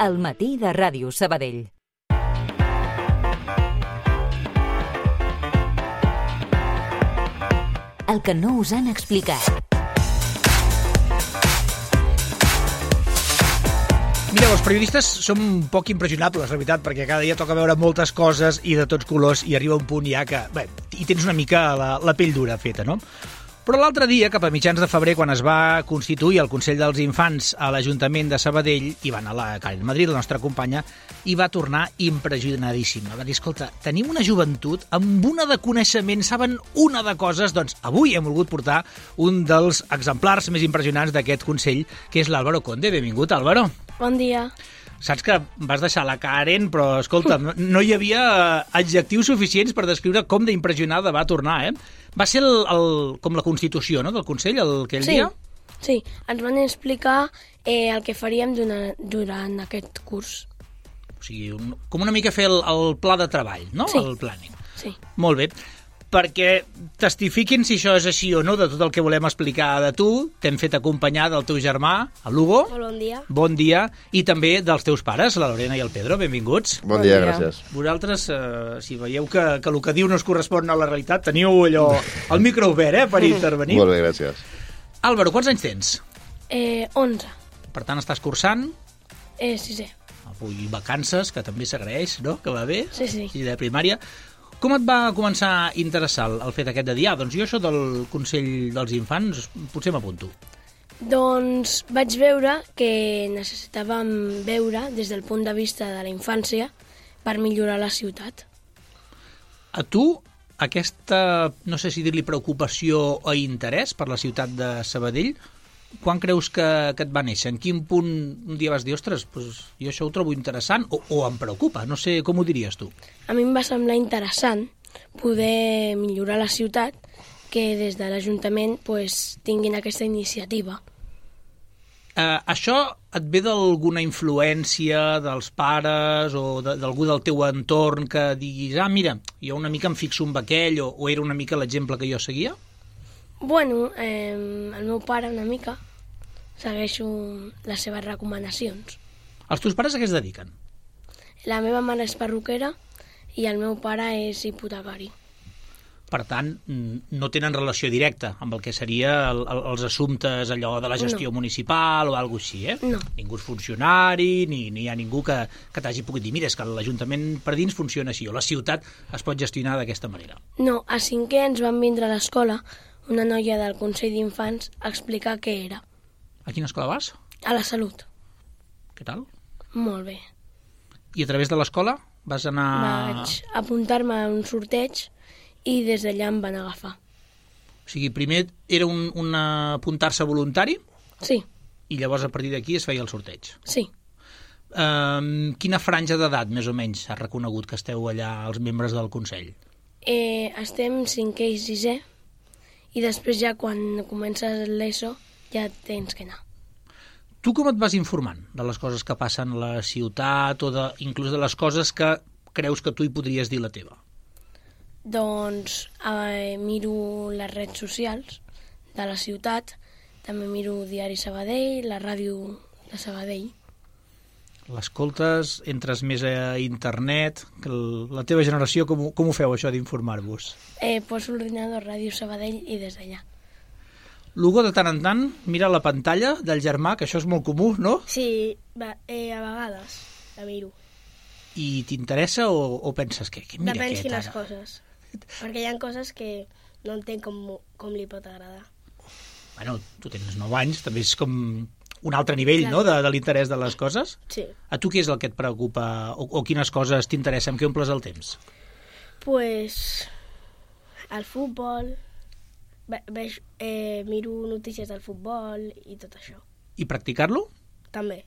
al matí de Ràdio Sabadell. El que no us han explicat. Mireu, els periodistes som poc impressionables, la veritat, perquè cada dia toca veure moltes coses i de tots colors i arriba un punt ja que, bé, hi tens una mica la pell dura feta, no? Però l'altre dia, cap a mitjans de febrer, quan es va constituir el Consell dels Infants a l'Ajuntament de Sabadell, i va anar la Karen Madrid, la nostra companya, i va tornar impressionadíssima. Va dir, escolta, tenim una joventut amb una de coneixement, saben una de coses, doncs avui hem volgut portar un dels exemplars més impressionants d'aquest Consell, que és l'Álvaro Conde. Benvingut, Álvaro. Bon dia. Saps que vas deixar la Karen, però, escolta, no hi havia adjectius suficients per descriure com d'impressionada va tornar, eh? Va ser com la constitució, no?, del Consell, aquell dia? Sí, ens van explicar el que faríem durant aquest curs. O sigui, com una mica fer el pla de treball, no?, Sí. El planning. Sí. Molt bé. Perquè testifiquin si això és així o no de tot el que volem explicar de tu. T'hem fet acompanyar del teu germà, el Lugo. Molt bon dia. Bon dia. I també dels teus pares, la Lorena i el Pedro. Benvinguts. Bon dia, gràcies. Vosaltres, si veieu que el que diu no es correspon a la realitat, teniu allò, el micro obert, per intervenir. Molt bé, gràcies. Álvaro, quants anys tens? 11. Per tant, estàs cursant. 6è. Avui vacances, que també s'agraeix, no?, que va bé. Sí. I de primària. Com et va començar a interessar el fet aquest de dir, doncs jo això del Consell dels Infants potser m'apunto? Doncs vaig veure que necessitàvem veure des del punt de vista de la infància per millorar la ciutat. A tu, aquesta, no sé si dir-li preocupació o interès per la ciutat de Sabadell, quan creus que et va néixer? En quin punt un dia vas dir, ostres, doncs jo això ho trobo interessant o em preocupa? No sé, com ho diries tu? A mi em va semblar interessant poder millorar la ciutat, que des de l'Ajuntament tinguin aquesta iniciativa. Això et ve d'alguna influència dels pares o d'algú del teu entorn que diguis, mira, jo una mica em fixo en aquell o era una mica l'exemple que jo seguia? Bueno, el meu pare una mica segueixo les seves recomanacions. Els teus pares a què es dediquen? La meva mare és perruquera i el meu pare és hipotecari. Per tant, no tenen relació directa amb el que seria els assumptes allò de la gestió municipal o alguna cosa així, eh? No. Ningú és funcionari, ni hi ha ningú que t'hagi pogut dir, mira, és que l'Ajuntament per dins funciona així, o la ciutat es pot gestionar d'aquesta manera. No, a 5è ens van vindre a l'escola una noia del Consell d'Infants a explicar què era. A quina escola vas? A la Salut. Què tal? Molt bé. I a través de l'escola vas anar... Vaig apuntar-me a un sorteig i des d'allà em van agafar. O sigui, primer era un apuntar-se voluntari? Sí. I llavors a partir d'aquí es feia el sorteig? Sí. Quina franja d'edat, més o menys, has reconegut que esteu allà els membres del Consell? Estem 5è i 6è i després ja quan comences l'ESO ja tens que anar. Tu com et vas informant de les coses que passen a la ciutat o inclús de les coses que creus que tu hi podries dir la teva? Doncs miro les redes socials de la ciutat, també miro Diari Sabadell, la ràdio de Sabadell. L'escoltes, entres més a internet, que la teva generació com ho feu això d'informar-vos? Poso l'ordinador Ràdio Sabadell i des d'allà. Lugo, de tant en tant, mira la pantalla del germà, que això és molt comú, no? Sí, a vegades la miro. I t'interessa o penses que mira Depèn aquest quines ara? coses, perquè hi ha coses que no entenc com li pot agradar. Bueno, tu tens 9 anys, també és com un altre nivell, no?, de l'interès de les coses. Sí. A tu què és el que et preocupa o quines coses t'interessen, amb què omples el temps? El futbol, miro notícies del futbol i tot això. I practicar-lo? També.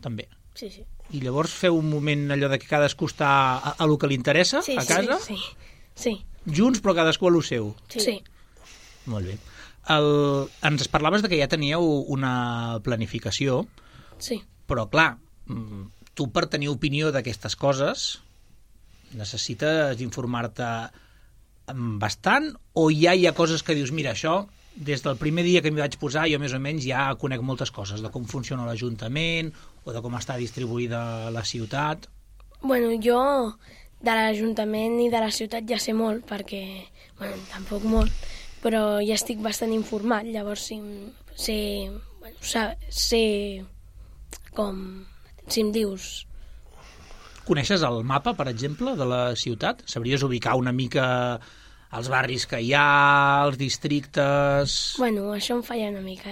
També. Sí. I llavors feu un moment allò de que cadascú està a lo que li interessa, a casa? Sí. Junts, però cadascú a lo seu? Sí. Molt bé. Ens parlaves de que ja teníeu una planificació, Sí. però clar, tu per tenir opinió d'aquestes coses necessites informar-te bastant o ja hi ha coses que dius, mira, això des del primer dia que m'hi vaig posar, jo més o menys ja conec moltes coses, de com funciona l'Ajuntament o de com està distribuïda la ciutat. Bueno, jo de l'Ajuntament i de la ciutat ja sé molt, perquè, bueno, tampoc molt, però ja estic bastant informat, llavors sé com, si em dius... Coneixes el mapa, per exemple, de la ciutat? Sabries ubicar una mica els barris que hi ha, els districtes... Bueno, això em falla una mica,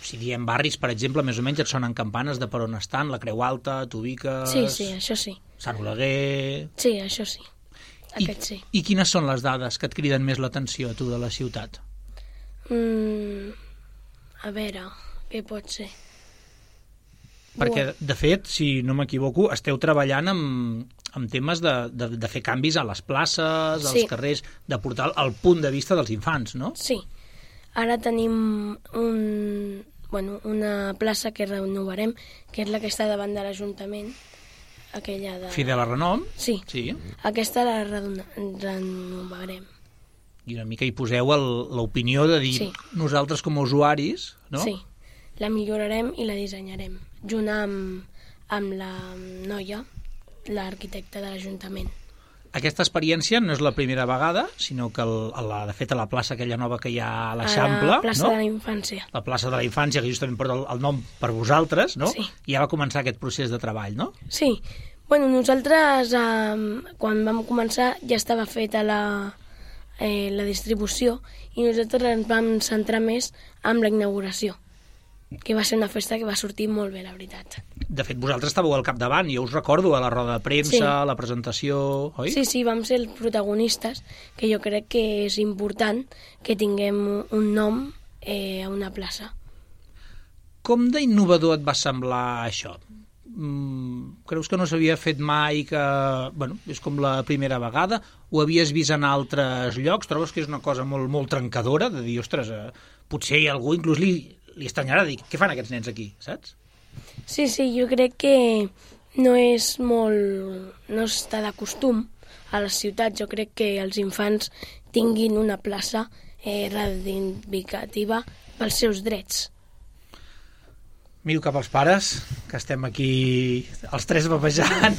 Si diem barris, per exemple, més o menys et sonen campanes de per on estan, la Creu Alta, t'ubiques... Sí, això sí. Sant Oleguer... Sí, això sí. Aquest sí. I quines són les dades que et criden més l'atenció, tu, de la ciutat? A veure, què pot ser? Perquè, de fet, si no m'equivoco, esteu treballant amb temes de fer canvis a les places, als carrers, de portar el punt de vista dels infants, no? Sí. Ara tenim una plaça que renovarem, que és la que està davant de l'Ajuntament, aquella de... Fidel Renom? Sí. Aquesta la renovarem. I una mica hi poseu l'opinió de dir nosaltres com a usuaris, no? Sí. La millorarem i la dissenyarem, junt amb la noia, l'arquitecta de l'Ajuntament. Aquesta experiència no és la primera vegada, sinó que, de fet, a la plaça aquella nova que hi ha a l'Eixample... A la plaça de la Infància. La plaça de la Infància, que justament porta el nom per vosaltres, no? Sí. I ja va començar aquest procés de treball, no? Sí. Bueno, nosaltres, quan vam començar, ja estava feta la distribució i nosaltres ens vam centrar més en la inauguració, que va ser una festa que va sortir molt bé, la veritat. De fet, vosaltres estàveu al capdavant, jo us recordo a la roda de premsa, a la presentació, oi? Sí, vam ser els protagonistes, que jo crec que és important que tinguem un nom a una plaça. Com d'innovador et va semblar això? Creus que no s'havia fet mai, que és com la primera vegada? Ho havies vist en altres llocs? Trobes que és una cosa molt, molt trencadora, de dir, ostres, potser algú inclús li estranyarà dir, què fan aquests nens aquí, saps? Sí, jo crec que no està de costum a les ciutats. Jo crec que els infants tinguin una plaça reivindicativa pels seus drets. Miro cap als pares, que estem aquí els tres babejant,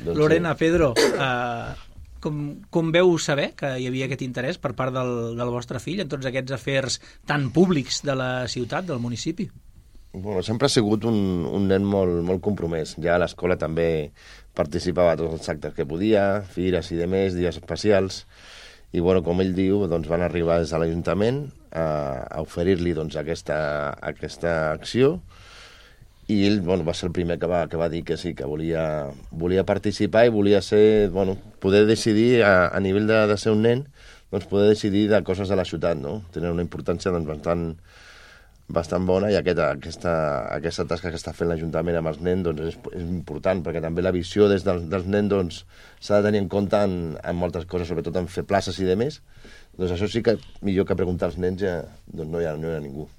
Lorena, Pedro, com veu saber que hi havia aquest interès per part del vostre fill en tots aquests afers tan públics de la ciutat, del municipi? Bueno, sempre ha sigut un nen molt compromès. Ja a l'escola també participava a tots els actes que podia, fires i demés, dies especials, i com ell diu, van arribar des de l'Ajuntament a oferir-li aquesta acció, i ell va ser el primer que va dir que sí, que volia participar i volia ser, poder decidir a nivell de ser un nen, poder decidir de coses de la ciutat, no? Tenen una importància bastant bona, i aquesta tasca que està fent l'Ajuntament amb els nens és important, perquè també la visió dels nens s'ha de tenir en compte en moltes coses, sobretot en fer places i demés. Això sí que millor que preguntar als nens no hi ha ningú.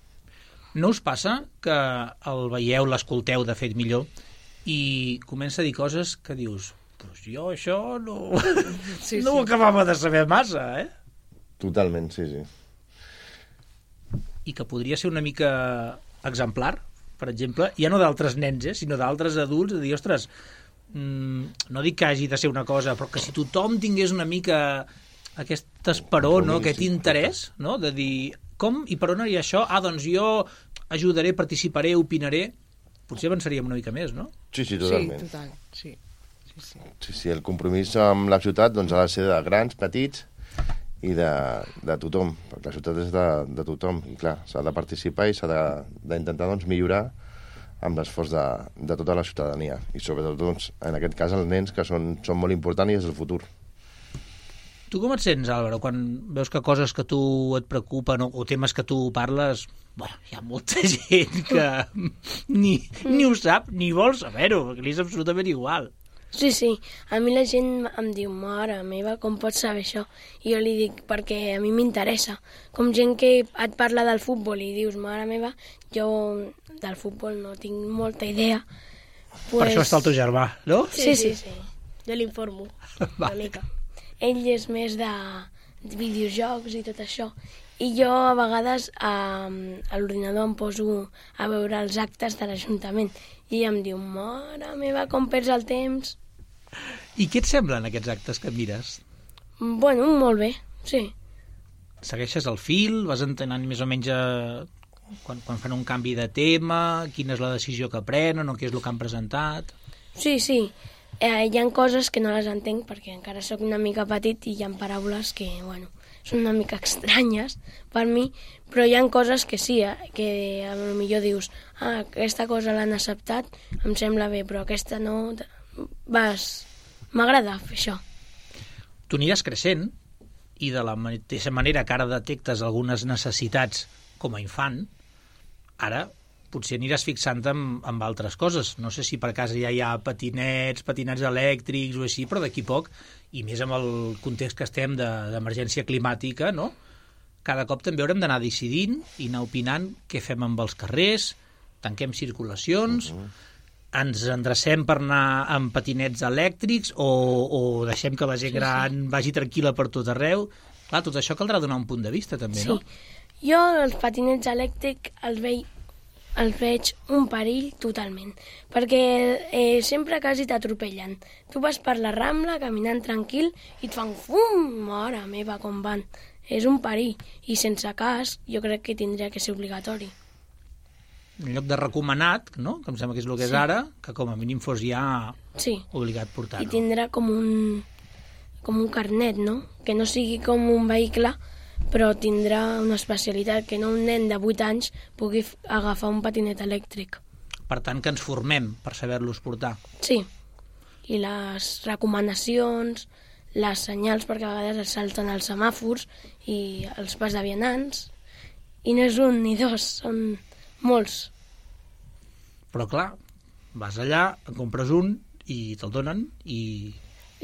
No us passa que el veieu, l'escolteu, de fet, millor, i comença a dir coses que dius, doncs jo això no ho acabava de saber massa, Totalment, sí. I que podria ser una mica exemplar, per exemple, ja no d'altres nens, sinó d'altres adults, de dir, ostres, no dic que hagi de ser una cosa, però que si tothom tingués una mica aquest esperó, no? Aquest interès, no? De dir, com i per on hi ha això? Doncs jo ajudaré, participaré, opinaré. Potser avançaríem una mica més, no? Sí, totalment. Sí, total, sí. Sí, el compromís amb la ciutat ha de ser de grans, petits i de tothom, perquè la ciutat és de tothom, i clar, s'ha de participar i s'ha d'intentar millorar amb l'esforç de tota la ciutadania, i sobretot en aquest cas els nens, que són molt importants i és el futur. Tu com et sents, Álvaro, quan veus que coses que tu et preocupen o temes que tu parles, hi ha molta gent que ni ho sap ni vol saber-ho, perquè li és absolutament igual. Sí, a mi la gent em diu, mare meva, com pots saber això? I jo li dic, perquè a mi m'interessa. Com gent que et parla del futbol i dius, mare meva, jo del futbol no tinc molta idea. Per això està el teu germà, no? Sí. Jo l'informo una mica. Ell és més videojocs i tot això. I jo a vegades a l'ordinador em poso a veure els actes de l'Ajuntament i em diu, mare meva, com perds el temps. I què et semblen aquests actes que mires? Bueno, molt bé, sí. Segueixes el fil? Vas entenent més o menys quan fan un canvi de tema, quina és la decisió que prenen o què és el que han presentat? Sí. Hi ha coses que no les entenc perquè encara sóc una mica petit i hi ha paraules que, bueno, són una mica estranyes per mi, però hi ha coses que sí, que potser dius, aquesta cosa l'han acceptat, em sembla bé, però aquesta no... M'agrada fer això. Tu aniràs creixent i de la mateixa manera que ara detectes algunes necessitats com a infant, ara potser aniràs fixant-te en altres coses. No sé si per casa ja hi ha patinets elèctrics o així, però d'aquí poc, i més amb el context que estem d'emergència climàtica, no? Cada cop també haurem d'anar decidint i anar opinant què fem amb els carrers, tanquem circulacions, ens endrecem per anar amb patinets elèctrics o deixem que la gent gran vagi tranquil·la per tot arreu. Clar, tot això caldrà donar un punt de vista també, no? Jo els patinets elèctrics els veig un perill totalment, perquè sempre quasi t'atropellen. Tu vas per la Rambla caminant tranquil i et fan fum, mare meva, com van. És un perill, i sense cas jo crec que tindria que ser obligatori. En lloc de recomanat, no? Que em sembla que és el que és ara, que com a mínim fos ja obligat portar-ho. I tindrà com un carnet, no? Que no sigui com un vehicle, però tindrà una especialitat, que no un nen de 8 anys pugui agafar un patinet elèctric. Per tant, que ens formem per saber-los portar. Sí, i les recomanacions, les senyals, perquè a vegades es salten els semàfors i els pas de vianants, i no és un ni dos, són molts. Però clar, vas allà, en compres un i te'l donen i...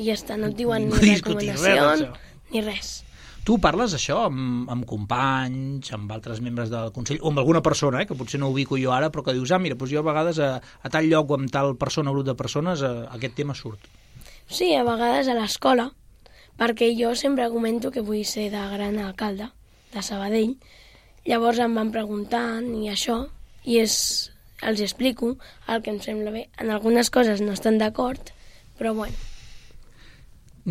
I ja està, no et diuen ni recomanació ni res. Tu parles això amb companys, amb altres membres del Consell, o amb alguna persona, que potser no ubico jo ara, però que dius, mira, doncs jo a vegades a tal lloc o amb tal persona o grup de persones aquest tema surt. Sí, a vegades a l'escola, perquè jo sempre comento que vull ser de gran alcalde, de Sabadell. Llavors em van preguntant i això, i els explico el que em sembla bé. En algunes coses no estan d'acord, però bueno.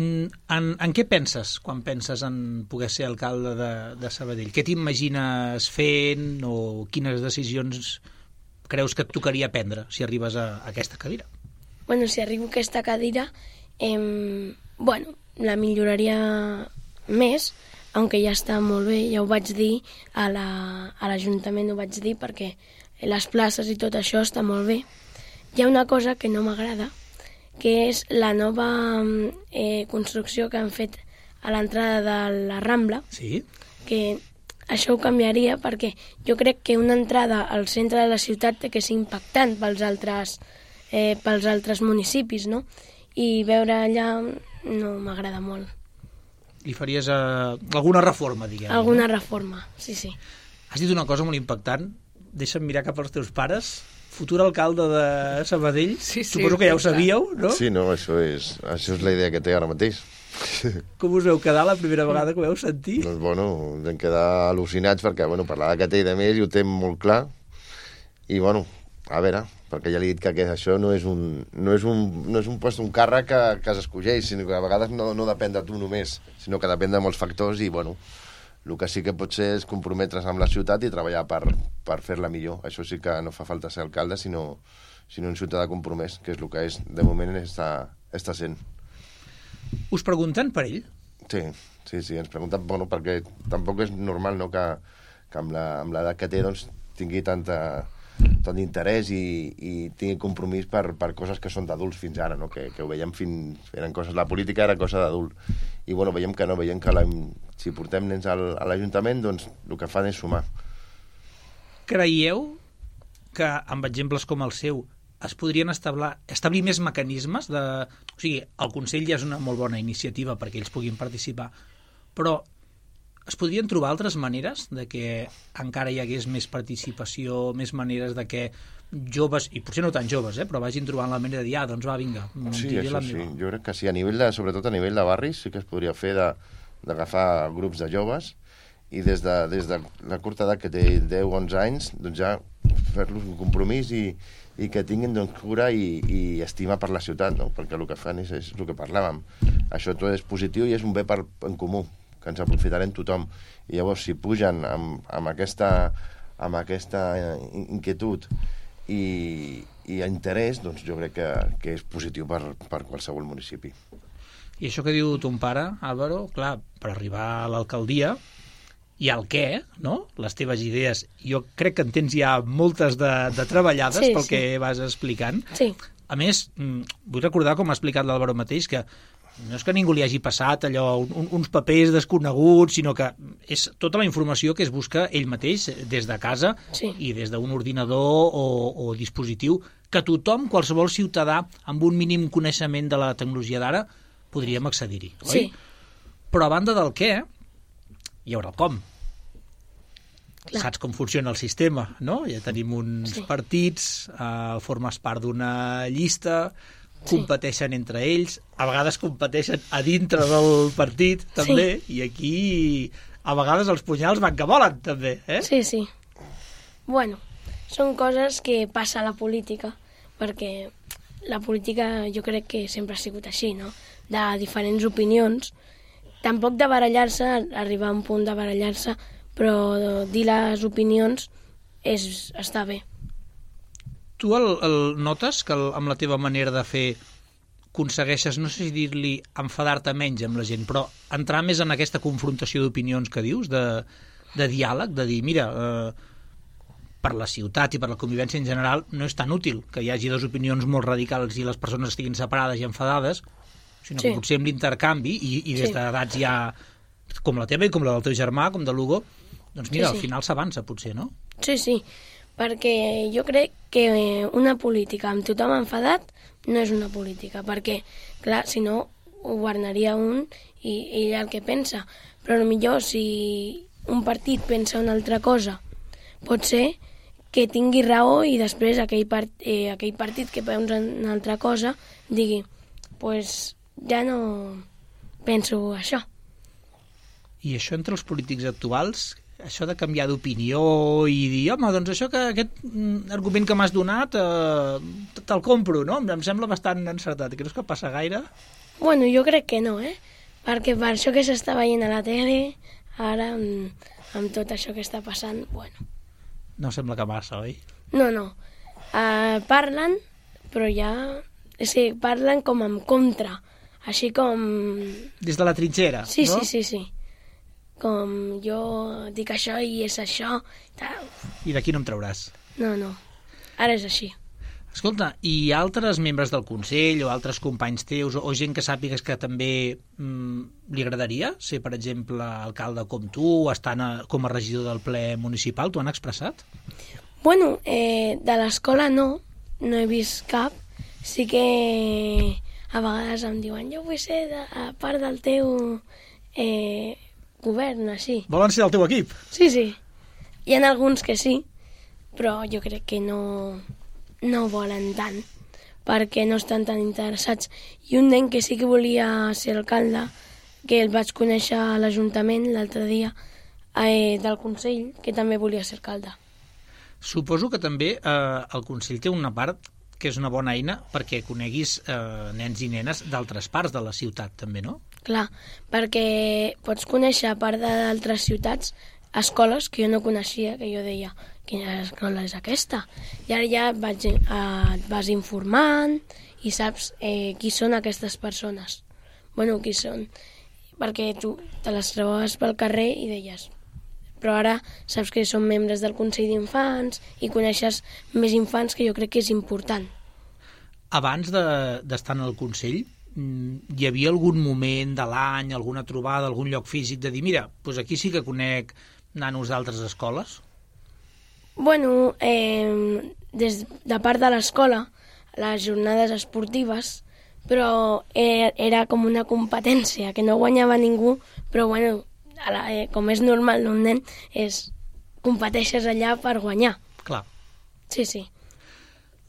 En què penses quan penses en poder ser alcalde de Sabadell? Què t'imagines fent o quines decisions creus que et tocaria prendre si arribes a aquesta cadira? Bueno, si arribo a aquesta cadira, la milloraria més, aunque ja està molt bé, ja ho vaig dir a l'Ajuntament, ho vaig dir perquè les places i tot això està molt bé. Hi ha una cosa que no m'agrada, que és la nova construcció que han fet a l'entrada de la Rambla, que això ho canviaria perquè jo crec que una entrada al centre de la ciutat té que ser impactant pels altres municipis, no? I veure allà no m'agrada molt. Li faries alguna reforma, diguem? Alguna reforma, sí. Has dit una cosa molt impactant, deixa'm mirar cap als teus pares. Futur alcalde de Sabadell, suposo que ja ho sabíeu, no? Sí, no, això és la idea que té ara mateix. Com us veu quedar la primera vegada que ho veu sentir? Doncs, vam quedar al·lucinats perquè, parlava que té de més i ho té molt clar. I, a veure, perquè ja li he dit que això no és un post, un càrrec que s'escolleix, sinó que a vegades no depèn de tu només, sinó que depèn de molts factors i, el que sí que pot ser és comprometre's amb la ciutat i treballar per fer-la millor. Això sí que no fa falta ser alcalde, sinó un ciutadà compromès, que és el que és, de moment està sent. Us pregunten per ell? Sí, ens pregunten, perquè tampoc és normal, no?, que amb l'edat que té tingui tant interès i tingui compromís per coses que són d'adults fins ara, no?, que ho veiem eren coses, la política era cosa d'adult. I veiem que no, veiem que si portem nens a l'Ajuntament, doncs el que fan és sumar. Creieu que amb exemples com el seu es podrien establir més mecanismes de... O sigui, el Consell ja és una molt bona iniciativa perquè ells puguin participar, però es podrien trobar altres maneres de que encara hi hagués més participació, més maneres de que joves, i potser no tan joves, però vagin trobant la manera de dir, doncs va, vinga. Sí, això sí, jo crec que sí, sobretot a nivell de barris sí que es podria fer d'agafar grups de joves i des de la curta edat que té 10-11 anys, doncs ja fer-los un compromís i que tinguin doncs, cura i estima per la ciutat, no? Perquè el que fan és el que parlàvem. Això tot és positiu i és un bé en comú, que ens aprofitarem tothom. I llavors, si pugen amb aquesta inquietud i interès, doncs jo crec que és positiu per qualsevol municipi. I això que diu ton pare, Álvaro, clar, per arribar a l'alcaldia i al què, no? Les teves idees, jo crec que en tens ja moltes de treballades pel que vas explicant. Sí. A més, vull recordar, com ha explicat l'Álvaro mateix, que no és que ningú li hagi passat allò, uns papers desconeguts, sinó que és tota la informació que es busca ell mateix des de casa i des d'un ordinador o dispositiu que tothom, qualsevol ciutadà amb un mínim coneixement de la tecnologia d'ara, podríem accedir-hi, oi? Sí. Però a banda del què, hi haurà el com. Clar. Saps com funciona el sistema, no? Ja tenim uns partits, formes part d'una llista, competeixen entre ells, a vegades competeixen a dintre del partit, també, i aquí a vegades els punyals van que volen, també, eh? Sí, sí. Bueno, són coses que passa a la política, perquè la política jo crec que sempre ha sigut així, no? De diferents opinions, tampoc de barallar-se, arribar a un punt de barallar-se, però dir les opinions està bé. Tu el notes que amb la teva manera de fer aconsegueixes, no sé si dir-li enfadar-te menys amb la gent, però entrar més en aquesta confrontació d'opinions que dius, de diàleg, de dir, mira, per la ciutat i per la convivència en general no és tan útil que hi hagi dues opinions molt radicals i les persones estiguin separades i enfadades, sinó que potser amb l'intercanvi i des d'edats ja com la teva i com la del teu germà, com de l'Hugo, doncs mira, al final s'avança potser, no? Sí, sí, perquè jo crec que una política amb tothom enfadat no és una política, perquè, clar, si no, ho governaria un i ell el que pensa. Però potser si un partit pensa una altra cosa, pot ser que tingui raó i després aquell partit que pensa una altra cosa digui, pues ja no penso això. I això entre els polítics actuals, això de canviar d'opinió i dir, home, doncs això que aquest argument que m'has donat te'l compro, no? Em sembla bastant encertat. Creus que passa gaire? Bueno, jo crec que no, perquè per això que s'està veient a la tele, ara amb tot això que està passant, bueno. No sembla que massa, oi? No. Parlen, però ja... És que parlen com en contra, així com... Des de la trinxera, sí, no? Sí. Com jo dic això i és això. Tal. I d'aquí no em trauràs. No. Ara és així. Escolta, i altres membres del Consell o altres companys teus o gent que sàpigues que també li agradaria ser, per exemple, alcalde com tu o estar com a regidor del ple municipal, t'ho han expressat? Bueno, de l'escola no he vist cap. Sí que a vegades em diuen jo vull ser a part del teu govern, així. Volen ser del teu equip? Sí. Hi ha alguns que sí, però jo crec que no volen tant, perquè no estan tan interessats. I un nen que sí que volia ser alcalde, que el vaig conèixer a l'Ajuntament l'altre dia, del Consell, que també volia ser alcalde. Suposo que també el Consell té una part que és una bona eina perquè coneguis nens i nenes d'altres parts de la ciutat, també, no? Clar, perquè pots conèixer, a part d'altres ciutats, escoles que jo no coneixia, que jo deia, quina escola és aquesta? I ara ja et vas informant i saps qui són aquestes persones. Bueno, qui són? Perquè tu te les trobaves pel carrer i deies, però ara saps que són membres del Consell d'Infants i coneixes més infants, que jo crec que és important. Abans d'estar en el Consell, hi havia algun moment de l'any, alguna trobada, algun lloc físic de dir, mira, doncs aquí sí que conec nanos d'altres escoles? Bueno, de part de l'escola, les jornades esportives, però era com una competència, que no guanyava ningú, però bueno, com és normal d'un nen, competeixes allà per guanyar. Clar. Sí.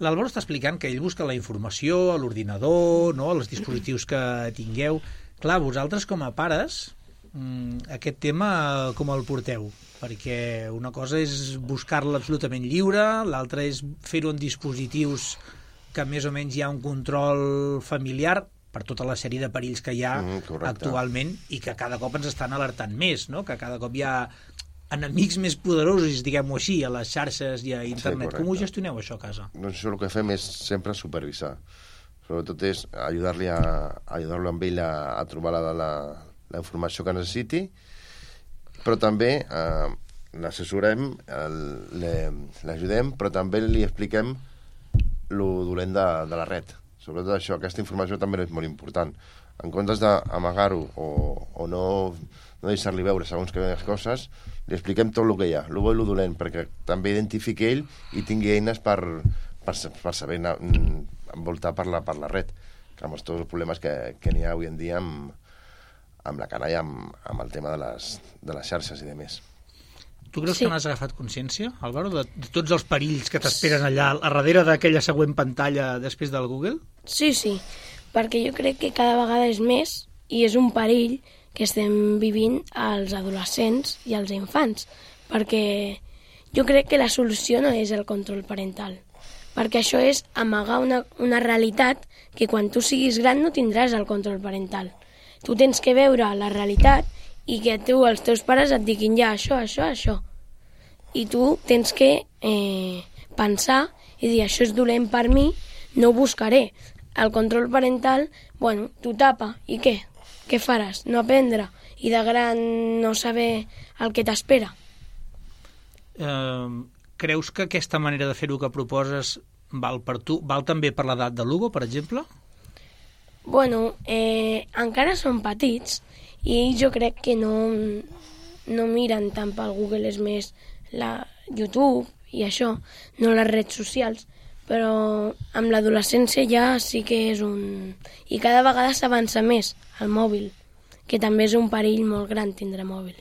L'Álvaro està explicant que ell busca la informació a l'ordinador, no?, als dispositius que tingueu. Clar, vosaltres com a pares Aquest tema com el porteu? Perquè una cosa és buscar-la absolutament lliure, l'altra és fer-ho en dispositius que més o menys hi ha un control familiar per tota la sèrie de perills que hi ha actualment i que cada cop ens estan alertant més, no? Que cada cop hi ha enemics més poderosos, diguem-ho així, a les xarxes i a internet. Com ho gestioneu, això, a casa? Doncs això el que fem és sempre supervisar. Sobretot és ajudar-lo amb ell a trobar la informació que necessiti, però també l'assessorem, l'ajudem, però també li expliquem lo dolent de la red. Sobretot això, aquesta informació també és molt important. En comptes d'amagar-ho o no deixar-li veure segons quines coses, li expliquem tot el que hi ha, lo bo i lo dolent, perquè també identifiqui ell i tingui eines per saber envoltar per la red, que amb tots els problemes que n'hi ha avui en dia amb la canalla, amb el tema de les xarxes i de més. Tu creus que n'has agafat consciència, Álvaro, de tots els perills que t'esperen allà a darrere d'aquella següent pantalla després del Google? Sí, perquè jo crec que cada vegada és més i és un perill que estem vivint als adolescents i als infants, perquè jo crec que la solució no és el control parental, perquè això és amagar una realitat que quan tu siguis gran no tindràs el control parental. Tu tens que veure la realitat i que els teus pares et diguin ja això. I tu tens que pensar i dir això és dolent per mi, no ho buscaré. El control parental, tu tapa, i què? Què faràs? No aprendre i de gran no saber el que t'espera. Creus que aquesta manera de fer-ho que proposes val per tu? Val també per l'edat de l'Hugo, per exemple? Encara són petits i jo crec que no miren tant pel Google, és més la YouTube i això, no les redes socials, però amb l'adolescència ja sí que és I cada vegada s'avança més al mòbil, que també és un perill molt gran tindre mòbil.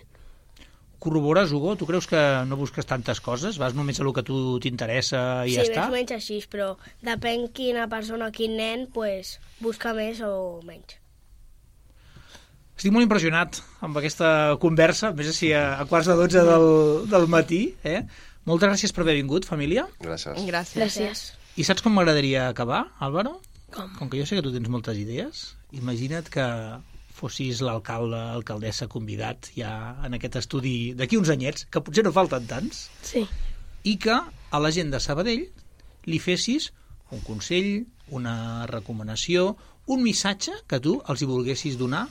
Corrobores, Hugo? Tu creus que no busques tantes coses? Vas només a lo que a tu t'interessa i ja està? Sí, més o menys així, però depèn quina persona, quin nen, busca més o menys. Estic molt impressionat amb aquesta conversa, més així a quarts de 12 del matí. Moltes gràcies per haver vingut, família. Gràcies. I saps com m'agradaria acabar, Álvaro? Com que jo sé que tu tens moltes idees, imagina't que fossis l'alcalde, alcaldessa convidat ja en aquest estudi d'aquí uns anyets, que potser no falten tants, sí, i que a la gent de Sabadell li fessis un consell, una recomanació, un missatge que tu els hi volguessis donar,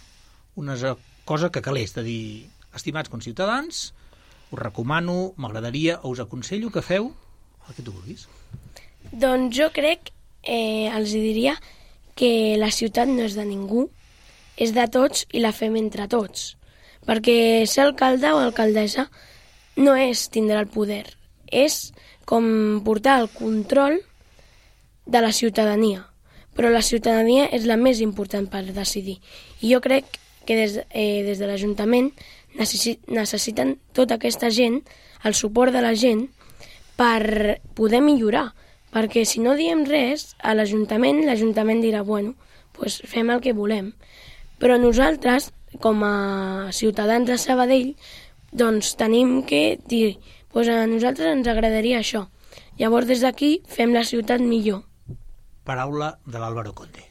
una cosa que calés, de dir, estimats conciutadans, us recomano, m'agradaria o us aconsello que feu el que tu vulguis. Doncs jo crec, els diria que la ciutat no és de ningú, és de tots i la fem entre tots. Perquè ser alcalde o alcaldessa no és tindre el poder, és com portar el control de la ciutadania. Però la ciutadania és la més important per decidir. I jo crec que des de l'Ajuntament necessiten tota aquesta gent, el suport de la gent, per poder millorar. Perquè si no diem res a l'Ajuntament dirà, fem el que volem. Però nosaltres, com a ciutadans de Sabadell, doncs tenim que dir, a nosaltres ens agradaria això. Llavors, des d'aquí, fem la ciutat millor. Paraula de l'Álvaro Conde.